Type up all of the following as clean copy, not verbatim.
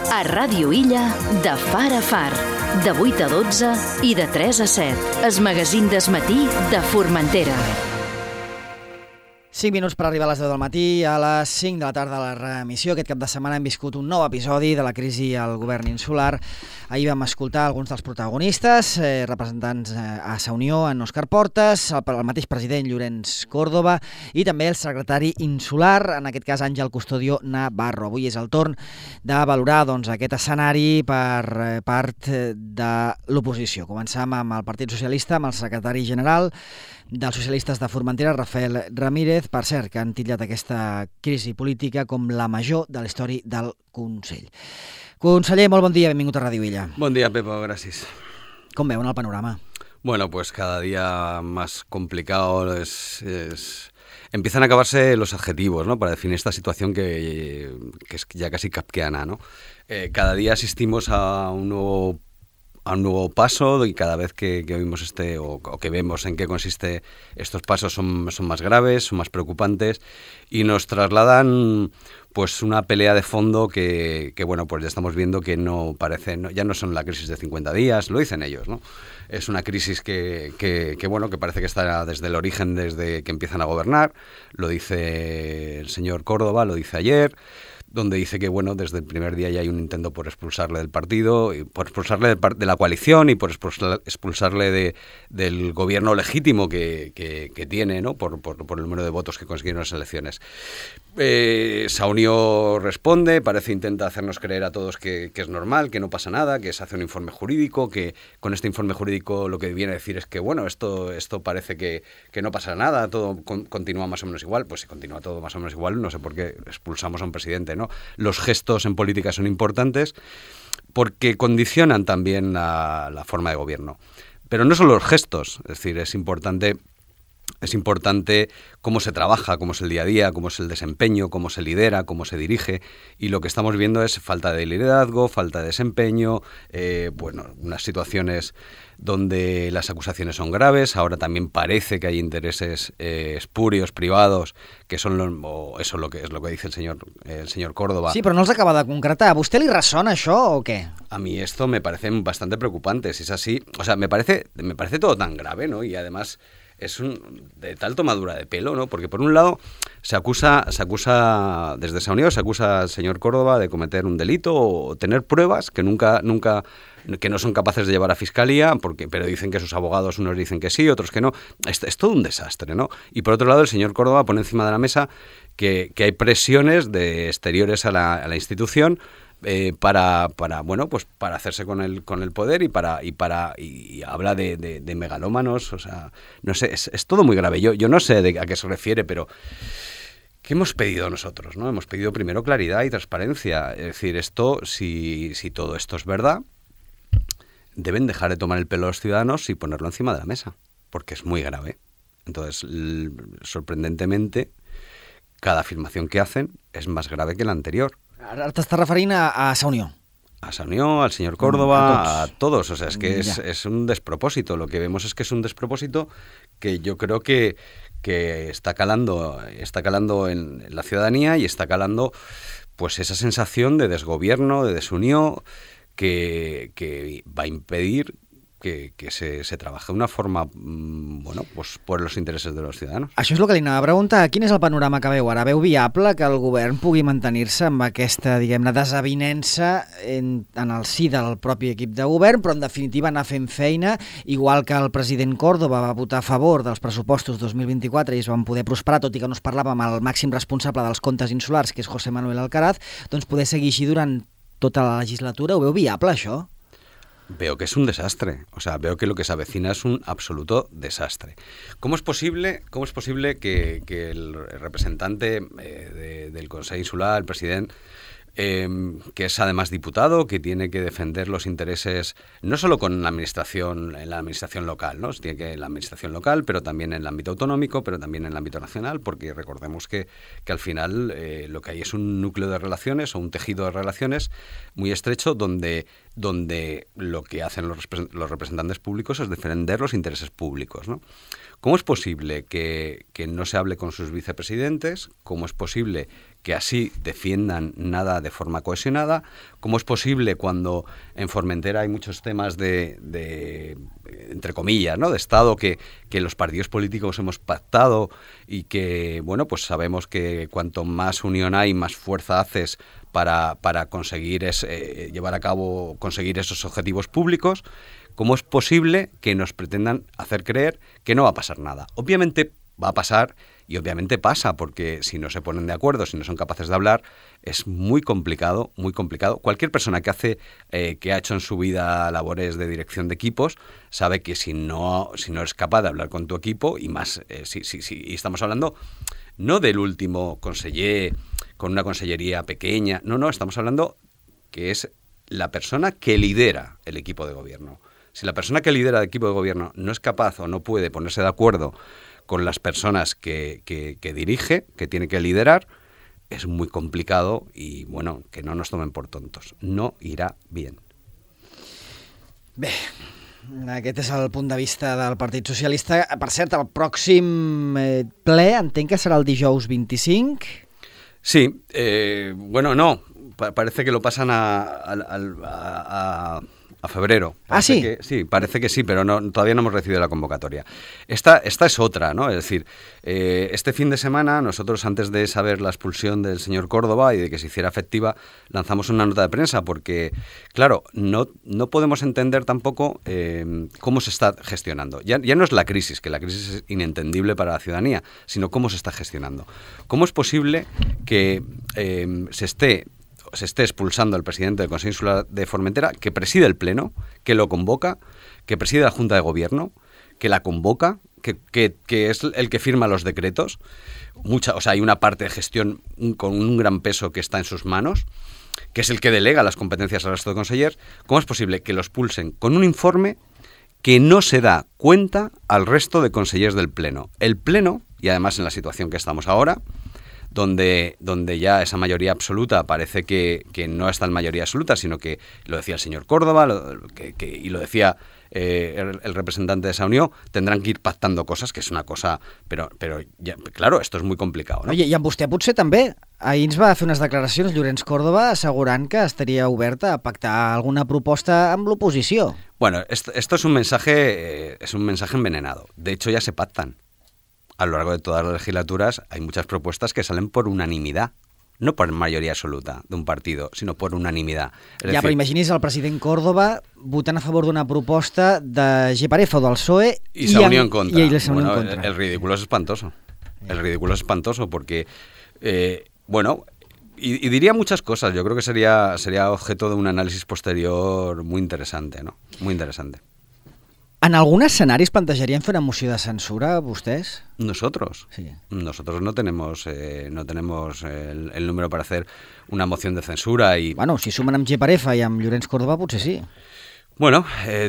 A Ràdio Illa, de far a far, de 8 a 12 i de 3 a 7. El magazín del matí de Formentera. 5 minuts per arribar a les 10 del matí, a les 5 de la tarda a la reemissió. Aquest cap de setmana hem viscut un nou episodi de la crisi al govern insular. Ahir vam escoltar alguns dels protagonistes, representants a Sa Unió, en Òscar Portas, el mateix president Llorenç Córdoba i també el secretari insular, en aquest cas Àngel Custodio Navarro. Avui és el torn de valorar aquest escenari per part de l'oposició. Començam amb el Partit Socialista, amb el secretari general dels socialistes de Formentera, Rafael Ramírez, per cert, que han titllat aquesta crisi política com la major de la història del Consell. Conseller, molt bon dia, benvingut a Ràdio Illa. Buen día, Pepo, gracias. Com veuen el panorama? Bueno, pues cada día más complicado empiezan a acabarse los adjetivos, ¿no? Para definir esta situación que es ya casi kafkiana, ¿no? Cada día asistimos a un nuevo paso y cada vez que oímos o que vemos en qué consiste estos pasos son más graves, son más preocupantes y nos trasladan pues una pelea de fondo que bueno, pues ya estamos viendo que ya no son la crisis de 50 días, lo dicen ellos, ¿no? Es una crisis que bueno, que parece que está desde el origen, desde que empiezan a gobernar, lo dice el señor Córdoba, lo dice ayer, donde dice que bueno, desde el primer día ya hay un intento por expulsarle del partido, y por expulsarle de la coalición y por expulsarle del gobierno legítimo que tiene, ¿no? Por el número de votos que consiguieron las elecciones. Sa Unió responde, intenta hacernos creer a todos que es normal, que no pasa nada, que se hace un informe jurídico, que con este informe jurídico lo que viene a decir es que bueno, esto parece que no pasa nada, todo continúa más o menos igual. Pues si continúa todo más o menos igual, no sé por qué expulsamos a un presidente, ¿no? Los gestos en política son importantes porque condicionan también la forma de gobierno. Pero no solo los gestos, es decir, es importante cómo se trabaja, cómo es el día a día, cómo es el desempeño, cómo se lidera, cómo se dirige, y lo que estamos viendo es falta de liderazgo, falta de desempeño, unas situaciones donde las acusaciones son graves. Ahora también parece que hay intereses espurios, privados, que son eso lo que dice el señor Córdoba. Sí, però no els acaba de concretar. ¿A vostè li ressona això o què? A mí esto me parece bastante preocupante, si es así. O sea, me parece todo tan grave, ¿no? Y además es de tal tomadura de pelo, ¿no? Porque por un lado se acusa desde Sa Unió, se acusa al señor Córdoba de cometer un delito o tener pruebas que que no son capaces de llevar a fiscalía, pero dicen que sus abogados, unos dicen que sí, otros que no. Es todo un desastre, ¿no? Y por otro lado el señor Córdoba pone encima de la mesa que hay presiones exteriores a la institución para hacerse con el poder y habla de megalómanos. O sea, no sé, es todo muy grave. Yo no sé a qué se refiere, pero ¿qué hemos pedido nosotros, no? Hemos pedido primero claridad y transparencia. Es decir, si todo esto es verdad, deben dejar de tomar el pelo a los ciudadanos y ponerlo encima de la mesa, porque es muy grave. Entonces, sorprendentemente, cada afirmación que hacen es más grave que la anterior. Ara t'estàs referint a Sa Unió. A Sa Unió, al señor Córdoba, a todos. O sea, es que es un despropósito. Lo que vemos es que es un despropósito que yo creo que está calando en la ciudadanía y está calando pues esa sensación de desgobierno, de desunión, que va a impedir que se trabaje de una forma, pues por los intereses de los ciudadanos. Això és el que li anava a preguntar. Quin és el panorama que veu ara? Veu viable que el govern pugui mantenir-se amb aquesta, diguem-ne, desavinença en el si del propi equip de govern, però en definitiva anar fent feina, igual que el president Córdoba va votar a favor dels pressupostos 2024 i es van poder prosperar, tot i que no es parlava amb el màxim responsable dels comptes insulars, que és José Manuel Alcaraz, doncs poder seguir així durant tota la legislatura. Ho veu viable, això? Veo que es un desastre, o sea, veo que lo que se avecina es un absoluto desastre. ¿Cómo es posible que el representante del Consejo Insular, el presidente, que es además diputado, que tiene que defender los intereses no solo en la administración local, ¿no? Tiene que en la administración local, pero también en el ámbito autonómico, pero también en el ámbito nacional, porque recordemos que al final lo que hay es un núcleo de relaciones o un tejido de relaciones muy estrecho donde lo que hacen los representantes públicos es defender los intereses públicos, ¿no? ¿Cómo es posible que no se hable con sus vicepresidentes? ¿Cómo es posible que así defiendan nada de forma cohesionada? ¿Cómo es posible cuando en Formentera hay muchos temas de entre comillas, ¿no?, de Estado que los partidos políticos hemos pactado y que, bueno, pues sabemos que cuanto más unión hay, más fuerza haces para conseguir llevar a cabo, conseguir esos objetivos públicos? ¿Cómo es posible que nos pretendan hacer creer que no va a pasar nada? Obviamente va a pasar y obviamente pasa, porque si no se ponen de acuerdo, si no son capaces de hablar, es muy complicado, muy complicado. Cualquier persona que ha hecho en su vida labores de dirección de equipos sabe que si no eres capaz de hablar con tu equipo, y más y estamos hablando no del último conseller con una consellería pequeña, no, estamos hablando que es la persona que lidera el equipo de gobierno. Si la persona que lidera el equipo de gobierno no es capaz o no puede ponerse de acuerdo con las personas que dirige, que tiene que liderar, es muy complicado y, bueno, que no nos tomen por tontos. No irà bien. Bé, aquest és el punt de vista del Partit Socialista. Per cert, el pròxim ple entenc que serà el dijous 25? Sí, bueno, no, parece que lo pasan a febrero. Sí. Sí, parece que sí, pero todavía no hemos recibido la convocatoria. Esta es otra, ¿no? Es decir, este fin de semana nosotros, antes de saber la expulsión del señor Córdoba y de que se hiciera efectiva, lanzamos una nota de prensa porque, claro, no podemos entender tampoco cómo se está gestionando. Ya no es la crisis, que la crisis es inentendible para la ciudadanía, sino cómo se está gestionando. ¿Cómo es posible que se esté expulsando al presidente del Consejo Insular de Formentera, que preside el Pleno, que lo convoca, que preside la Junta de Gobierno, que la convoca, que es el que firma los decretos? Hay una parte de gestión con un gran peso que está en sus manos, que es el que delega las competencias al resto de consellers. ¿Cómo es posible que los expulsen con un informe que no se da cuenta al resto de consellers del Pleno? El Pleno, y además en la situación que estamos ahora, donde ya esa mayoría absoluta parece que no está en mayoría absoluta, sino que lo decía el señor Córdoba y lo decía el representante de esa unió, tendrán que ir pactando cosas, que és una cosa... Però ja, claro, esto es muy complicado, ¿no? Oye, i amb vostè potser també. Ahir ens va fer unes declaracions Llorenç Córdoba assegurant que estaria oberta a pactar alguna proposta amb l'oposició. Bueno, esto es un mensaje envenenado. De hecho, ya se pactan. A lo largo de todas las legislaturas hay muchas propuestas que salen por unanimidad, no por mayoría absoluta de un partido, sino por unanimidad. Ja, però imagini's el president Córdoba votant a favor d'una proposta de Geparefa o del PSOE y se unió en contra. Y se unió en contra. El ridículo es espantoso. El ridículo es espantoso porque, bueno, y diría muchas cosas. Yo creo que sería objeto de un análisis posterior muy interesante, ¿no? Muy interesante. En algun escenari es plantejarien fer una moció de censura, vostès? Nosotros. Sí. Nosotros no tenemos el número para hacer una moción de censura y... Bueno, si sumen amb Geparefa i amb Llorenç Córdoba, potser sí. Bueno,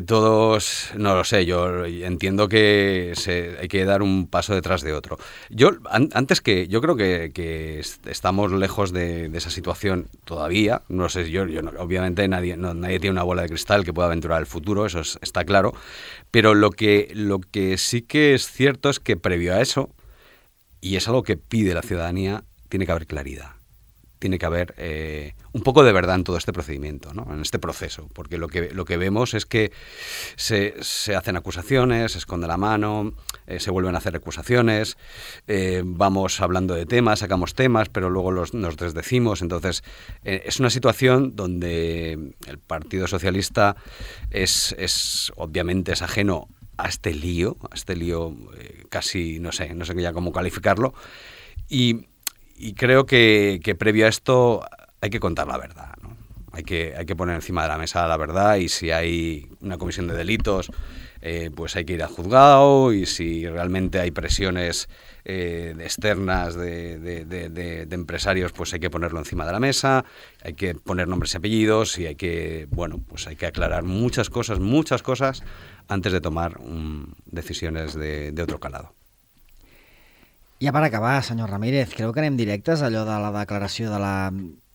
todos, no lo sé, yo entiendo que hay que dar un paso detrás de otro. Yo creo que estamos lejos de esa situación todavía. No sé, yo obviamente nadie tiene una bola de cristal que pueda aventurar el futuro, eso está claro. Pero lo que sí que es cierto es que previo a eso, y es algo que pide la ciudadanía, tiene que haber claridad. Tiene que haber un poco de verdad en todo este procedimiento, ¿no? En este proceso, porque lo que vemos es que se hacen acusaciones, se esconde la mano, se vuelven a hacer acusaciones, vamos hablando de temas, sacamos temas, pero luego nos desdecimos. Entonces, es una situación donde el Partido Socialista obviamente es ajeno a este lío casi, no sé ya cómo calificarlo, y creo que previo a esto hay que contar la verdad, ¿no? Hay que poner encima de la mesa la verdad, y si hay una comisión de delitos, pues hay que ir al juzgado, y si realmente hay presiones externas de empresarios, pues hay que ponerlo encima de la mesa, hay que poner nombres y apellidos, y hay que aclarar muchas cosas antes de tomar decisiones de otro calado. Ja per acabar, senyor Ramírez, creu que anem directes a allò de la declaració de la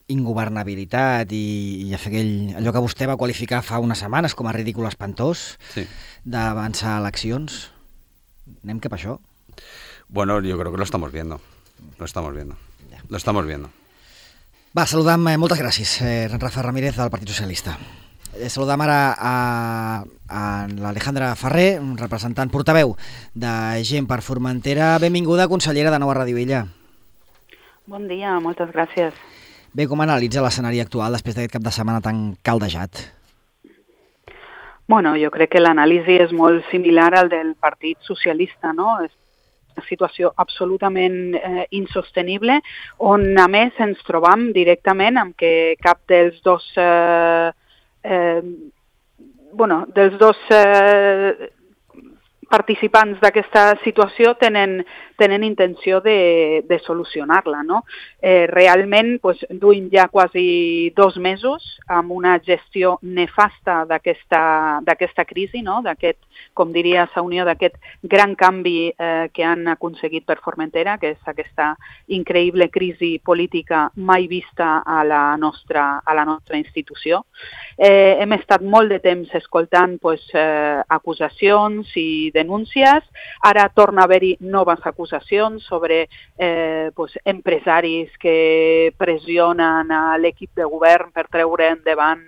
ingovernabilitat i a fer allò que vostè va qualificar fa unes setmanes com a ridícul espantós, sí, d'avançar eleccions? Anem cap a això? Bueno, yo creo que lo estamos viendo. Va, saludam, moltes gràcies, Rafa Ramírez del Partit Socialista. Saludam ara a l'Alejandra Ferrer, un representant portaveu de Gent per Formentera. Benvinguda, consellera, de nou a Ràdio Illa. Bon dia, moltes gràcies. Bé, com analitza l'escenari actual després d'aquest cap de setmana tan caldejat? Bueno, jo crec que l'anàlisi és molt similar al del Partit Socialista, no? És una situació absolutament insostenible, on a més ens trobam directament amb que cap dels dos participants d'aquesta situació tenen intenció de solucionar-la, no? Realment duim ja quasi 2 mesos amb una gestió nefasta d'aquesta crisi, no? D'aquest, com diria Saunió, d'aquest gran canvi que han aconseguit per Formentera, que és aquesta increïble crisi política mai vista a la nostra institució. Hem estat molt de temps escoltant acusacions i denúncies. Ara torna a haver-hi noves acusacions sobre empresaris que pressionen a l'equip de govern per treure endavant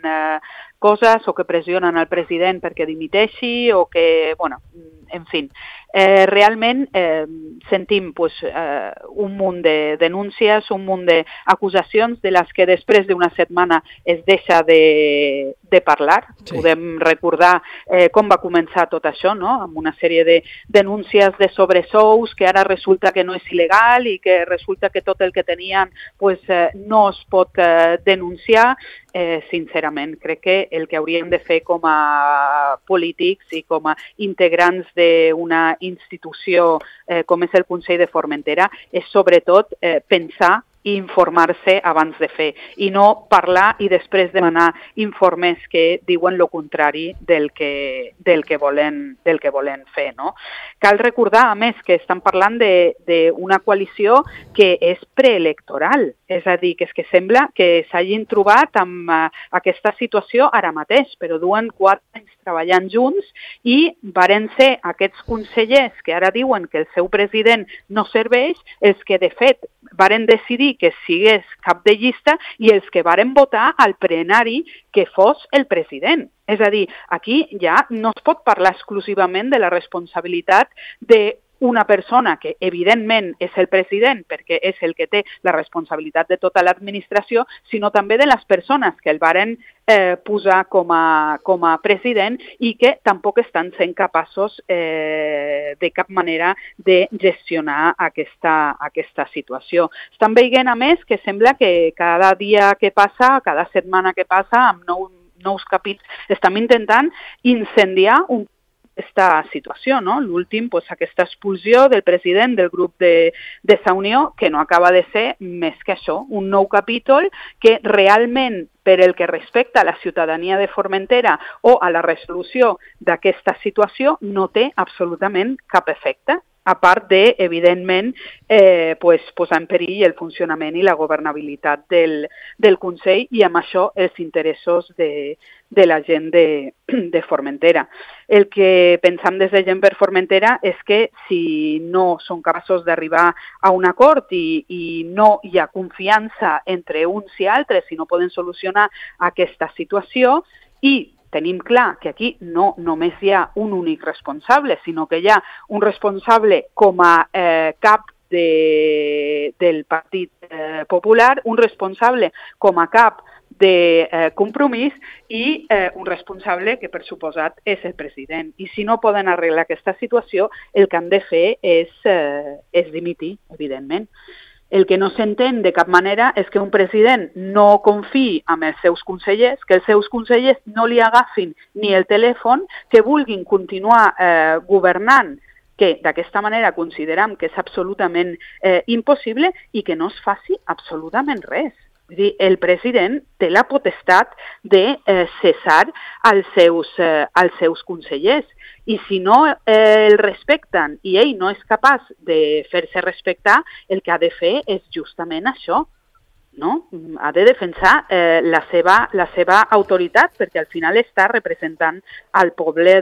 coses o que pressionen al president perquè dimiteixi o que, en fi, realment sentim un munt de denúncies, un munt d'acusacions de les que després d'una setmana es deixa de parlar. Sí. Podem recordar com va començar tot això, no? Amb una sèrie de denúncies de sobresous que ara resulta que no és il·legal i que resulta que tot el que tenien no es pot denunciar. Sincerament, crec que el que hauríem de fer com a polítics i com a integrants d'una institució com és el Consell de Formentera és sobretot pensar i informar-se abans de fer i no parlar i després demanar informes que diuen lo contrari del que volen fer, no? Cal recordar, a més, que estan parlant d'una coalició que és preelectoral, és a dir, que és que sembla que s'hagin trobat amb aquesta situació ara mateix, però duen 4 anys treballant junts i varen ser aquests consellers que ara diuen que el seu president no serveix, els que de fet varen decidir que sigués cap de llista i els que varen votar al plenari que fos el president. És a dir, aquí ja no es pot parlar exclusivament de la responsabilitat d'una persona que evidentment és el president perquè és el que té la responsabilitat de tota l'administració, sinó també de les persones que el varen posar com a president i que tampoc estan sent capaços de cap manera de gestionar aquesta situació. Estan veient, a més, que sembla que cada dia que passa, cada setmana que passa, amb nous capítols, estem intentant incendiar aquesta situació, no? L'últim, aquesta expulsió del president del grup de Saunió, que no acaba de ser més que això, un nou capítol que realment, per el que respecta a la ciutadania de Formentera o a la resolució d'aquesta situació, no té absolutament cap efecte, a part de, evidentment, posar en perill el funcionament i la governabilitat del Consell i amb això els interessos de la gent de Formentera. El que pensam des de Gent per Formentera és que si no són capaços d'arribar a un acord i no hi ha confiança entre uns i altres i no poden solucionar aquesta situació i tenim clar que aquí no només hi ha un únic responsable, sinó que hi ha un responsable com a cap del Partit Popular, un responsable com a cap de Compromís i un responsable que per suposat és el president. I si no poden arreglar aquesta situació, el que han de fer és dimitir, evidentment. El que no s'entén de cap manera és que un president no confiï en els seus consellers, que els seus consellers no li agafin ni el telèfon, que vulguin continuar governant, que d'aquesta manera consideram que és absolutament impossible i que no es faci absolutament res. Vull dir, el president té la potestat de cessar els seus consellers i si no el respecten i ell no és capaç de fer-se respectar, el que ha de fer és justament això, no? Ha de defensar la seva autoritat perquè al final està representant al poble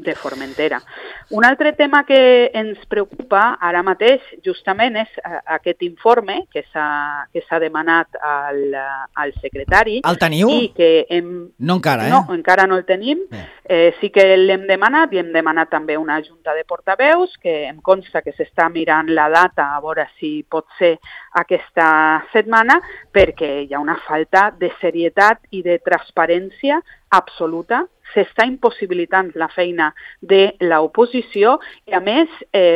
de Formentera. Un altre tema que ens preocupa ara mateix justament és aquest informe que s'ha demanat al secretari. El teniu? I que no encara, No, encara no el tenim. Sí que l'hem demanat i hem demanat també una junta de portaveus que em consta que s'està mirant la data a veure si pot ser aquesta setmana, perquè hi ha una falta de serietat i de transparència absoluta. S'està impossibilitant la feina de l'oposició i, a més,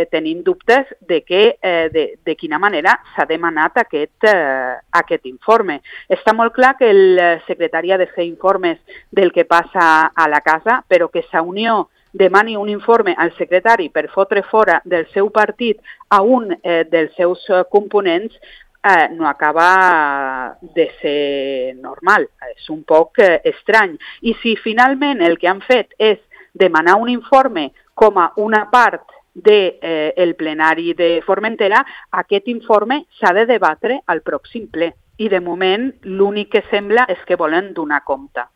tenim dubtes de quina manera s'ha demanat aquest informe. Està molt clar que el secretari ha de fer informes del que passa a la casa, però que la Unió demani un informe al secretari per fotre fora del seu partit a un dels seus components no acaba de ser normal, és un poc estrany. I si finalment el que han fet és demanar un informe com a una part del plenari de Formentera, aquest informe s'ha de debatre al pròxim ple. I de moment l'únic que sembla és que volen donar compte.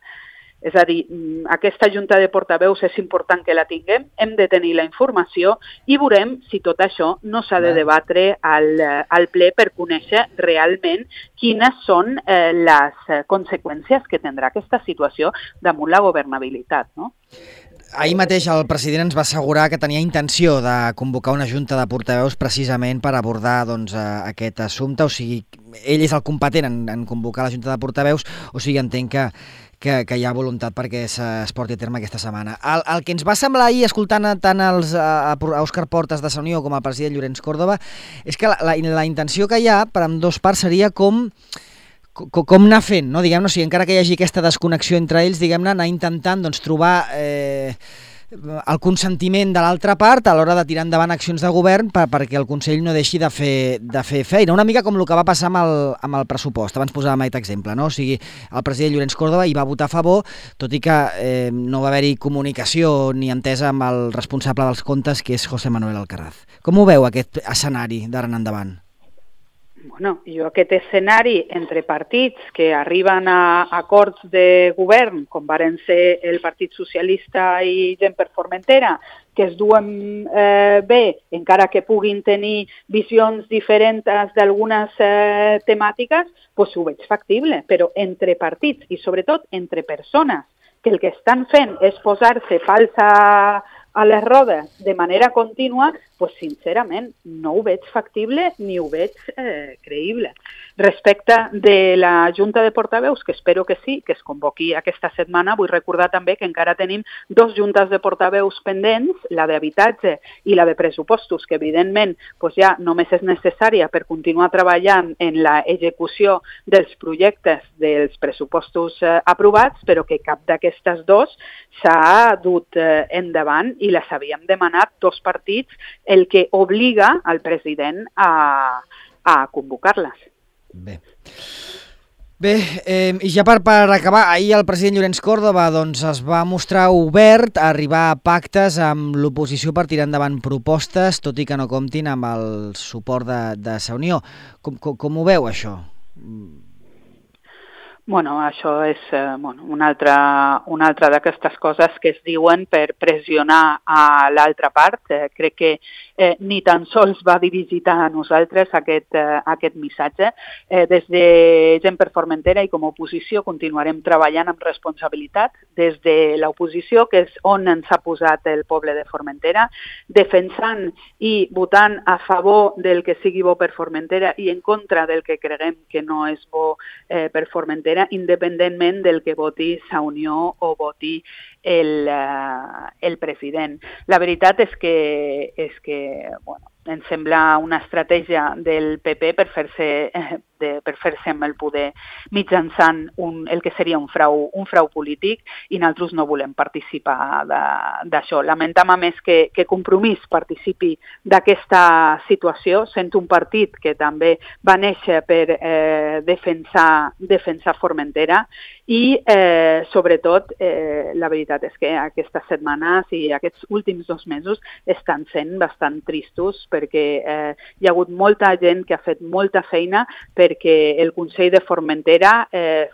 És a dir, aquesta junta de portaveus és important que la tinguem, hem de tenir la informació i veurem si tot això no s'ha de debatre al ple per conèixer realment quines són les conseqüències que tindrà aquesta situació damunt la governabilitat, no? Ahir mateix el president ens va assegurar que tenia intenció de convocar una junta de portaveus precisament per abordar aquest assumpte, o sigui, ell és el competent en convocar la junta de portaveus, o sigui, entenc que hi ha voluntat perquè es porti a terme aquesta setmana. El que ens va semblar ahir, escoltant tant a Òscar Portas de Sa Unió com al president Llorenç Córdoba, és que la intenció que hi ha per ambdós parts seria com anar fent, no? Diguem-ne, o sigui, encara que hi hagi aquesta desconnexió entre ells, diguem-ne, anar intentant trobar el consentiment de l'altra part a l'hora de tirar endavant accions de govern perquè el Consell no deixi de fer feina. Una mica com el que va passar amb el pressupost. Abans posàvem aquest exemple, no? O sigui, el president Llorenç Córdoba hi va votar a favor, tot i que no va haver-hi comunicació ni entesa amb el responsable dels comptes, que és José Manuel Alcaraz. Com ho veu, aquest escenari d'ara en endavant? Bueno, jo aquest escenari entre partits que arriben a acords de govern, com varen ser el Partit Socialista i Gent per Formentera, que es duen bé, encara que puguin tenir visions diferents d'algunes temàtiques, doncs ho veig factible, però entre partits i sobretot entre persones que el que estan fent és posar-se pals a les rodes de manera contínua, doncs sincerament no ho veig factible ni ho veig creïble. Respecte de la Junta de Portaveus, que espero que sí, que es convoqui aquesta setmana, vull recordar també que encara tenim 2 juntes de portaveus pendents, la d'habitatge i la de pressupostos, que evidentment ja només és necessària per continuar treballant en l'execució dels projectes dels pressupostos aprovats, però que cap d'aquestes 2 s'ha dut endavant i les havíem demanat 2 partits, el que obliga al president a convocar-les. Bé, i ja per acabar, ahir el president Llorenç Córdoba es va mostrar obert a arribar a pactes amb l'oposició per tirar endavant propostes, tot i que no comptin amb el suport de Sa Unió. Com ho veu, això? Bueno, això és una altra d'aquestes coses que es diuen per pressionar a l'altra part. Crec que ni tan sols va dirigit a nosaltres aquest missatge. Des de Gent per Formentera i com a oposició continuarem treballant amb responsabilitat des de l'oposició, que és on ens ha posat el poble de Formentera, defensant i votant a favor del que sigui bo per Formentera i en contra del que creguem que no és bo per Formentera, independentment del que voti Sa Unió o voti el president. La veritat és que ens sembla una estratègia del PP per fer-se amb el poder mitjançant el que seria un frau polític, i nosaltres no volem participar d'això. Lamentam a més que Compromís participi d'aquesta situació, sent un partit que també va néixer per defensar Formentera i sobretot la veritat és que aquestes setmanes i aquests últims 2 mesos estan sent bastant tristos, perquè hi ha hagut molta gent que ha fet molta feina per perquè el Consell de Formentera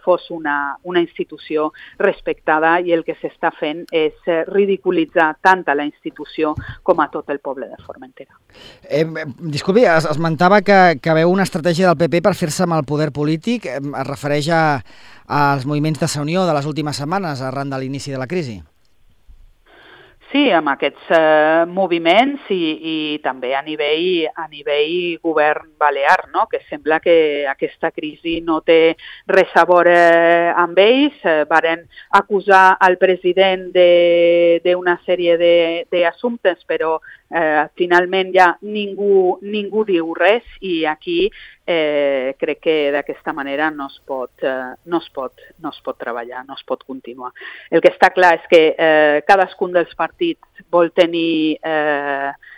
fos una institució respectada, i el que s'està fent és ridiculitzar tant a la institució com a tot el poble de Formentera. Disculpi, esmentava que veu una estratègia del PP per fer-se amb el poder polític. Es refereix als moviments de Unió de les últimes setmanes arran de l'inici de la crisi? Sí, amb aquests moviments i també a nivell govern balear, no? Que sembla que aquesta crisi no té res a veure amb ells. Varen acusar al president d'una sèrie d'assumptes, però finalment ja ningú diu res, i aquí crec que d'aquesta manera no es pot treballar, no es pot continuar. El que està clar és que cadascun dels partits vol tenir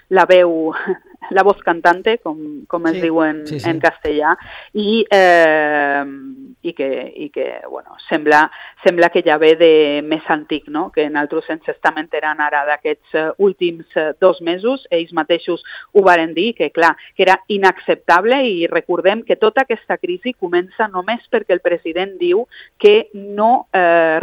la voz cantante, com es diu en castellà, i que bueno, sembla que ja ve de més antic, no? Que nosaltres ens estem enterant ara d'aquests últims 2 mesos. Ells mateixos ho varen dir, que clar, que era inacceptable, i recordem que tota aquesta crisi comença només perquè el president diu que no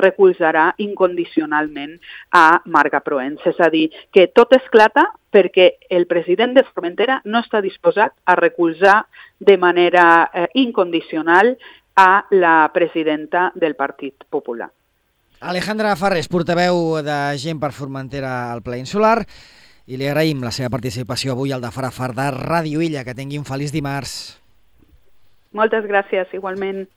recolzarà incondicionalment a Marga Proens. És a dir, que tot esclata perquè el president de Formentera no està disposat a recolzar de manera incondicional a la presidenta del Partit Popular. Alejandra Farrés, portaveu de Gent per Formentera al Ple Insular, i li agraïm la seva participació avui al de Far a Far de Ràdio Illa. Que tingui un feliç dimarts. Moltes gràcies, igualment.